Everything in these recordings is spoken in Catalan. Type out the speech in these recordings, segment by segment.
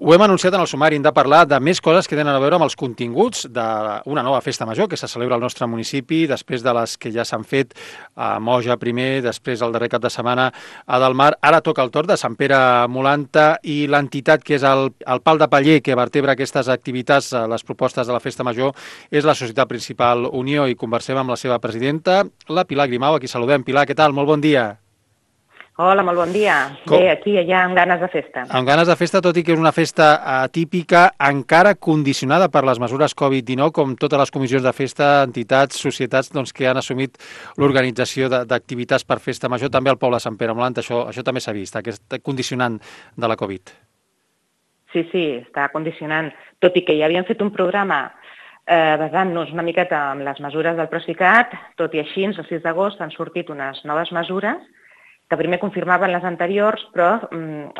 Ho hem anunciat en el sumari, hem de parlar de més coses que tenen a veure amb els continguts d'una nova festa major que se celebra al nostre municipi, després de les que ja s'han fet a Moja primer, després el darrer cap de setmana a Delmar. Ara toca el torn de Sant Pere Molanta i l'entitat que és el pal de paller que vertebra aquestes activitats, les propostes de la festa major, és la Societat Principal Unió i conversem amb la seva presidenta, la Pilar Grimau, a qui saludem. Pilar, què tal? Molt bon dia. Hola, molt bon dia. Bé, aquí ja amb ganes de festa. Amb ganes de festa, tot i que és una festa atípica, encara condicionada per les mesures Covid-19, com totes les comissions de festa, entitats, societats que han assumit l'organització d'activitats per festa major, també al poble de Sant Pere Molant, això també s'ha vist, aquest condicionant de la Covid. Sí, està condicionant. Tot i que ja havíem fet un programa basant-nos una miqueta en les mesures del Procicat, tot i així, el 6 d'agost han sortit unes noves mesures que primer confirmaven les anteriors, però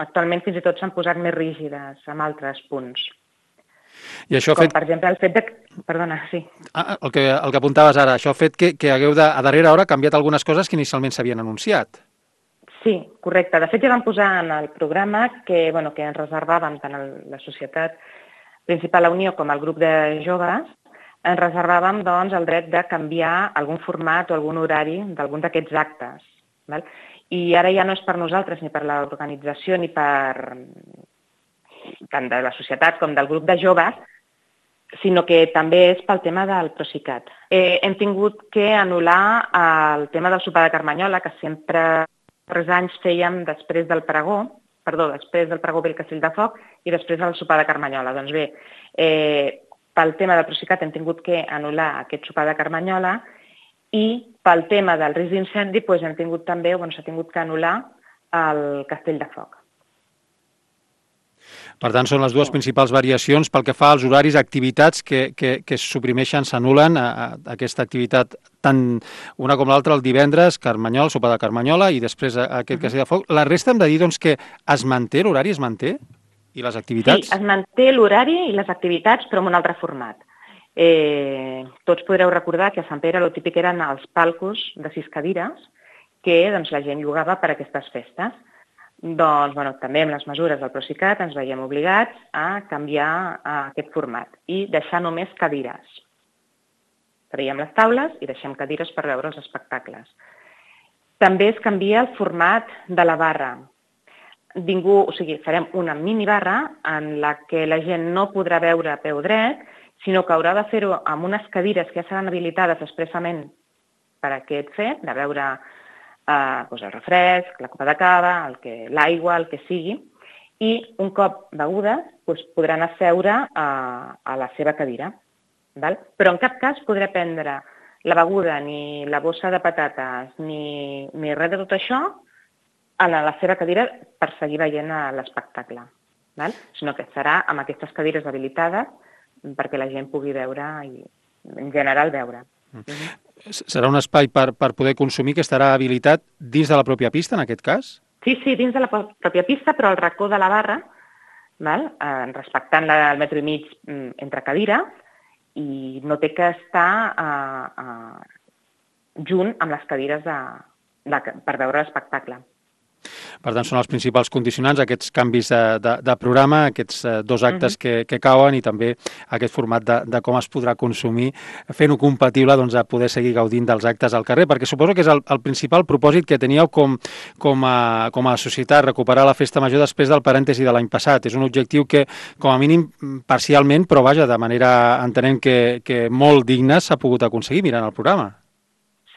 actualment fins i tot s'han posat més rígides amb altres punts. I això com, per exemple, el fet de... Perdona, sí. El que apuntaves ara, això ha fet que hagueu a darrera hora canviat algunes coses que inicialment s'havien anunciat. Sí, correcte. De fet, ja vam posar en el programa que ens reservàvem tant a la Societat Principal Unió com al grup de joves, ens reservàvem doncs, el dret de canviar algun format o algun horari d'algun d'aquests actes. Val? I ara ja no és per nosaltres, ni per l'organització, ni per tant de la societat com del grup de joves, sinó que també és pel tema del Procicat. Hem tingut que anul·lar el tema del sopar de Carmanyola, que sempre els anys fèiem després del pregó pel Castell de Foc i després del sopar de Carmanyola. Doncs bé, pel tema del Procicat hem tingut que anul·lar aquest sopar de Carmanyola i pel tema del risc d'incendi s'ha tingut que anul·lar el Castell de Foc. Per tant, són les dues principals variacions pel que fa als horaris, activitats que es suprimeixen, s'anul·len aquesta activitat, tant una com l'altra, el divendres, Carmanyola, sopar de Carmanyola, i després aquest Castell de Foc. La resta hem de dir que es manté, l'horari es manté? I les activitats? Sí, es manté l'horari i les activitats, però en un altre format. Tots podreu recordar que a Sant Pere el típic eren els palcos de 6 cadires que la gent llogava per a aquestes festes. Doncs també amb les mesures del Procicat ens veiem obligats a canviar aquest format i deixar només cadires. Traiem les taules i deixem cadires per veure els espectacles. També es canvia el format de la barra. Farem una minibarra en la que la gent no podrà veure a peu dret, sinó que haurà de fer-ho amb unes cadires que ja seran habilitades expressament per a aquest fet, de veure el refresc, la copa de cava, l'aigua, el que sigui, i un cop begudes podran asseure a la seva cadira. Però en cap cas podrà prendre la beguda, ni la bossa de patates, ni res de tot això a la seva cadira per seguir veient l'espectacle, sinó que serà amb aquestes cadires habilitades perquè la gent pugui veure i, en general, veure. Serà un espai per poder consumir que estarà habilitat dins de la pròpia pista, en aquest cas? Sí, dins de la pròpia pista, però al racó de la barra, respectant el metre i mig entre cadires, i no té que estar junt amb les cadires per veure l'espectacle. Per tant, són els principals condicionants, aquests canvis de programa, aquests dos actes que cauen i també aquest format de com es podrà consumir, fent-ho compatible a poder seguir gaudint dels actes al carrer, perquè suposo que és el principal propòsit que teníeu com a societat, recuperar la festa major després del parèntesi de l'any passat. És un objectiu que, com a mínim, parcialment, però vaja, de manera, entenem que molt digna, s'ha pogut aconseguir mirant el programa.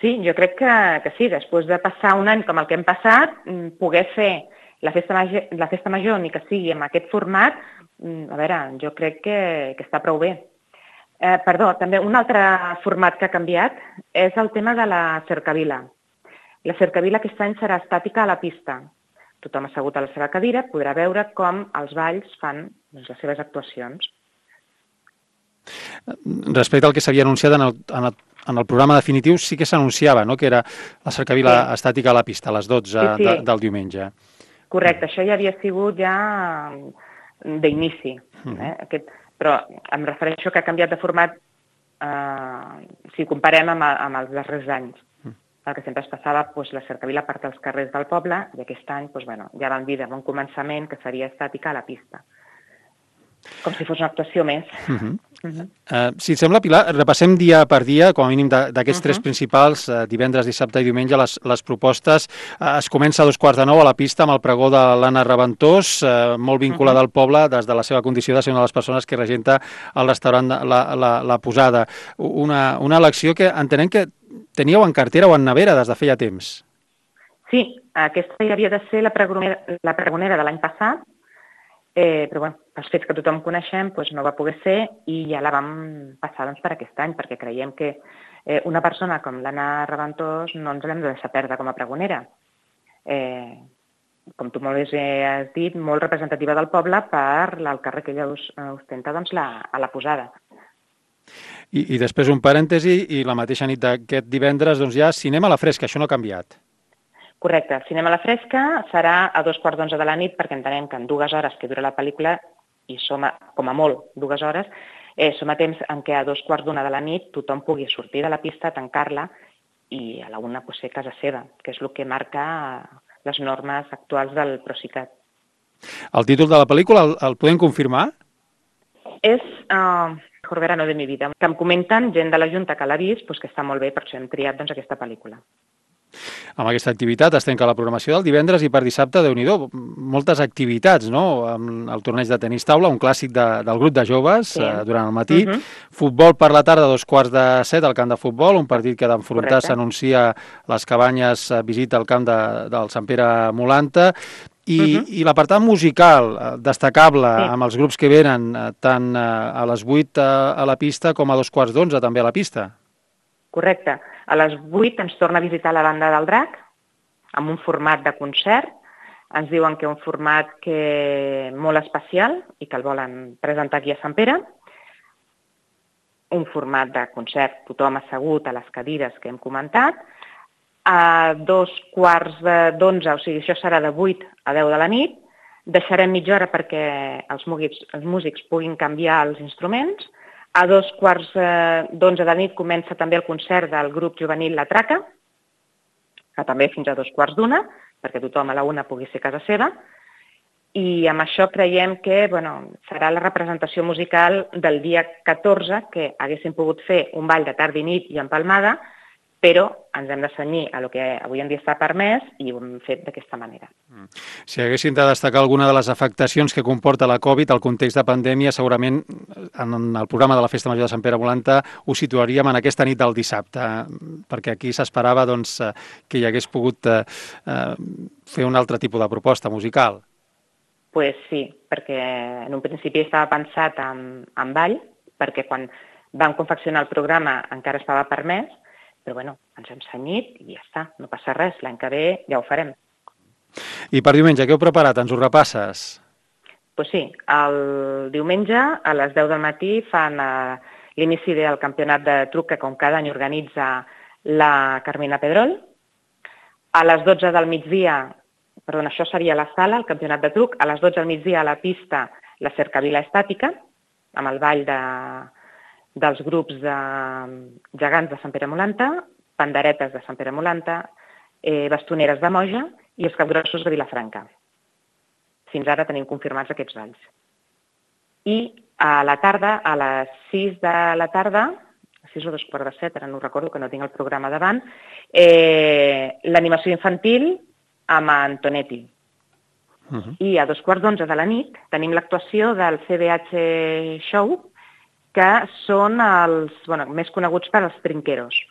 Sí, jo crec que sí. Després de passar un any com el que hem passat, poder fer la festa major, ni que sigui en aquest format, jo crec que està prou bé. També un altre format que ha canviat és el tema de la cercavila. La cercavila aquest any serà estàtica a la pista. Tothom assegut a la seva cadira podrà veure com els balls fan les seves actuacions. Respecte al que s'havia anunciat en el programa definitiu, sí que s'anunciava, que era la cercavila estàtica a la pista, a les 12 del diumenge. Correcte, això ja havia sigut d'inici. Però em refereixo que ha canviat de format si comparem amb els darrers anys. El que sempre es passava, la cercavila part dels carrers del poble, i aquest any ja vam dir de bon començament que seria estàtica a la pista. com si fos una actuació més. Si et sembla, Pilar, repassem dia per dia, com a mínim d'aquests tres principals, divendres, dissabte i diumenge, les propostes. Es comença a 8:45 a la pista amb el pregó de l'Anna Reventós, molt vinculada al poble des de la seva condició de ser una de les persones que regenta el restaurant La Posada. Una elecció que entenem que teníeu en cartera o en nevera des de feia temps. Sí, aquesta ja havia de ser la pregonera de l'any passat, però bueno, pels fets que tothom coneixem no va poder ser i ja la vam passar per aquest any, perquè creiem que una persona com l'Anna Reventós no ens l'hem de deixar perdre com a pregonera. Com tu molt bé has dit, molt representativa del poble per el càrrec que ella ostenta a la Posada. I després un parèntesi, i la mateixa nit d'aquest divendres ja cinema a la fresca, això no ha canviat. Correcte. Cinema a la fresca serà a 11:45 de la nit, perquè entenem que en 2 hores que dura la pel·lícula, i som, com a molt, 2 hores, som a temps en què a 2:15 de la nit tothom pugui sortir de la pista, tancar-la i a la 1 ser a casa seva, que és el que marca les normes actuals del Procicat. El títol de la pel·lícula el podem confirmar? És Mejor verano de mi vida, que em comenten gent de la Junta que l'ha vist, que està molt bé, per això hem triat aquesta pel·lícula. Amb aquesta activitat es tanca la programació del divendres i per dissabte, Déu-n'hi-do, moltes activitats, no? Amb el torneig de tenis taula, un clàssic del grup de joves durant el matí, futbol per la tarda a 6:45 al camp de futbol, un partit que d'enfrontar s'anuncia les Cabanyes visita al camp del Sant Pere Molanta, i l'apartat musical destacable amb els grups que venen tant a les 8 a la pista com a 11:15 també a la pista. Correcte. A les 8 ens torna a visitar la Banda del Drac, amb un format de concert. Ens diuen que un format molt especial i que el volen presentar aquí a Sant Pere. Un format de concert, tothom assegut a les cadires que hem comentat. A 11:15, o sigui, això serà de 8 a 10 de la nit. Deixarem mitja hora perquè els músics puguin canviar els instruments. A 11:15 de la nit comença també el concert del grup juvenil La Traca, que també fins a 2:15, perquè tothom a la 1 pugui ser a casa seva. I amb això creiem que serà la representació musical del dia 14, que haguéssim pogut fer un ball de tarda i nit i empalmada, però ens hem de cenyir a el que avui en dia està permès i ho hem fet d'aquesta manera. Si haguéssim de destacar alguna de les afectacions que comporta la Covid, el context de pandèmia, segurament en el programa de la Festa Major de Sant Pere Molanta ho situaríem en aquesta nit del dissabte, perquè aquí s'esperava que hi hagués pogut fer un altre tipus de proposta musical. Pues sí, perquè en un principi estava pensat en ball, perquè quan vam confeccionar el programa encara estava permès, però ens hem cenyit i ja està, no passa res, l'any que ve ja ho farem. I per diumenge, què heu preparat? Ens ho repasses? Doncs sí, el diumenge a les 10 del matí fan l'inici del campionat de truc que com cada any organitza la Carmina Pedrol. A les 12 del migdia, això seria la sala, el campionat de truc, a les 12 del migdia a la pista la cercavila estàtica, amb el ball dels grups de gegants de Sant Pere Molanta, panderetes de Sant Pere Molanta, bastoneres de Moja i els capgrossos de Vilafranca. Fins ara tenim confirmats aquests balls. I a la tarda, a les 6 de la tarda, 6 o 2:15, ara no recordo que no tinc el programa davant, l'animació infantil amb Antonetti. I a 2:15 de la nit tenim l'actuació del CBH Show, que són els més coneguts per als trinqueros.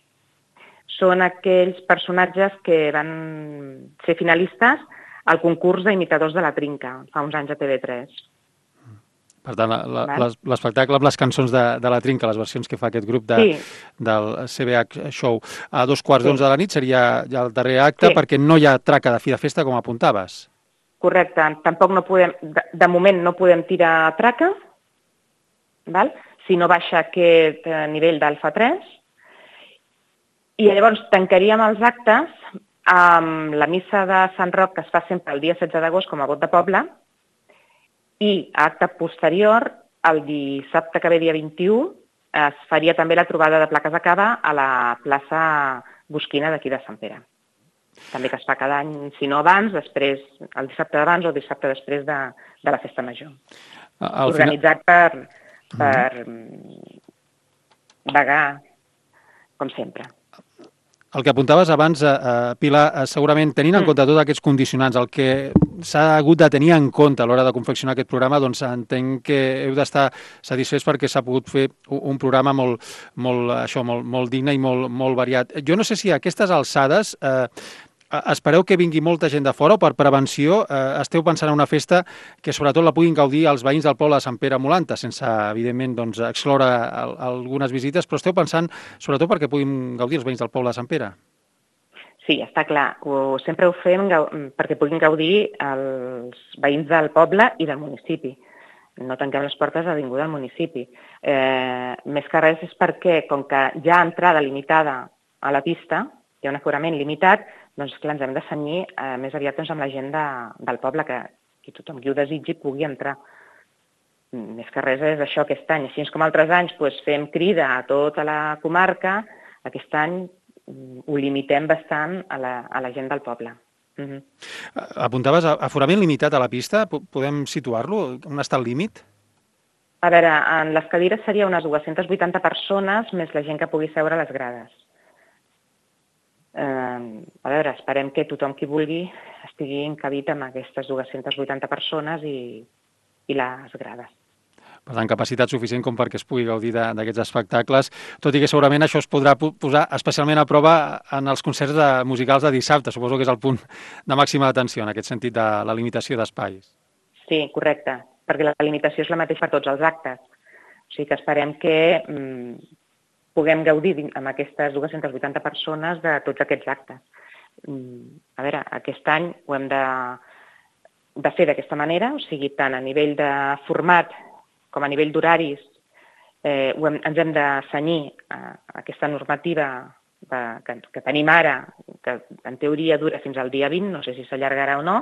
Són aquells personatges que van ser finalistes al concurs d'imitadors de la trinca, fa uns anys a TV3. Per tant, l'espectacle amb les cançons de la trinca, les versions que fa aquest grup del CBH Show, a 2:15 de la nit seria ja el darrer acte, perquè no hi ha traca de fi de festa, com apuntaves. Correcte. Tampoc no podem, de moment no podem tirar traca, si no baixa aquest nivell d'alfa 3, i llavors tancaríem els actes amb la missa de Sant Roc, que es fa sempre el dia 16 d'agost com a vot de poble, i acte posterior, el dissabte que ve, dia 21, es faria també la trobada de plaques de cava a la plaça Bosquina d'aquí de Sant Pere. També que es fa cada any, si no abans, després, el dissabte d'abans o el dissabte després de la Festa Major. organitzat per vagar, com sempre. El que apuntaves abans, Pilar, segurament tenint en compte tots aquests condicionants, el que s'ha hagut de tenir en compte a l'hora de confeccionar aquest programa, doncs entenc que heu d'estar satisfets perquè s'ha pogut fer un programa molt digne i molt variat. Jo no sé si a aquestes alçades espereu que vingui molta gent de fora o per prevenció esteu pensant en una festa que sobretot la puguin gaudir els veïns del poble de Sant Pere Molanta, sense, evidentment, doncs, excloure algunes visites, però esteu pensant sobretot perquè puguin gaudir els veïns del poble de Sant Pere? Sí, està clar. Sempre ho fem perquè puguin gaudir els veïns del poble i del municipi. No tanquem les portes a ningú del municipi. Més que res és perquè, com que hi ha entrada limitada a la pista, hi ha un aforament limitat, doncs clar, ens hem de cenyir més aviat doncs, amb la gent del poble, que tothom qui ho desitgi pugui entrar. Més que res és això aquest any. Així com altres anys doncs, fem crida a tota la comarca, aquest any ho limitem bastant a la gent del poble. Apuntaves aforament limitat a la pista, podem situar-lo? On està el límit? A veure, en les cadires seria unes 280 persones més la gent que pugui seure a les grades. A veure, esperem que tothom qui vulgui estigui encabit amb aquestes 280 persones i les grades. Per tant, capacitat suficient com perquè es pugui gaudir d'aquests espectacles, tot i que segurament això es podrà posar especialment a prova en els concerts musicals de dissabte. Suposo que és el punt de màxima atenció en aquest sentit de la limitació d'espais. Sí, correcte, perquè la limitació és la mateixa per tots els actes. O sigui que esperem que puguem gaudir amb aquestes 280 persones de tots aquests actes. A veure, aquest any ho hem de fer d'aquesta manera, o sigui, tant a nivell de format com a nivell d'horaris ens hem de cenyir a aquesta normativa que tenim ara, que en teoria dura fins al dia 20, no sé si s'allargarà o no,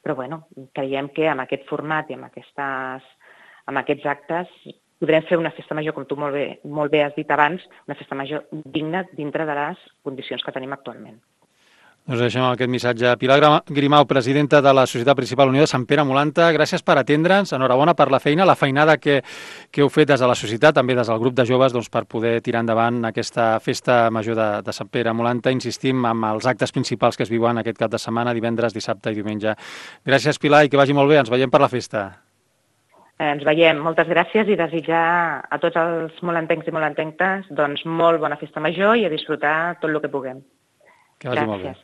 però bueno, creiem que amb aquest format i amb aquests actes podrem fer una festa major, com tu molt bé has dit abans, una festa major digna dintre de les condicions que tenim actualment. Doncs deixem aquest missatge. Pilar Grimau, presidenta de la Societat Principal Unió de Sant Pere Molanta, gràcies per atendre'ns, enhorabona per la feina, la feinada que heu fet des de la societat, també des del grup de joves, doncs, per poder tirar endavant aquesta festa major de Sant Pere Molanta. Insistim amb els actes principals que es viuen aquest cap de setmana, divendres, dissabte i diumenge. Gràcies, Pilar, i que vagi molt bé. Ens veiem per la festa. Ens veiem. Moltes gràcies i desitjar a tots els molantencs i molantenques doncs, molt bona festa major i a disfrutar tot el que puguem. Que vagi molt bé.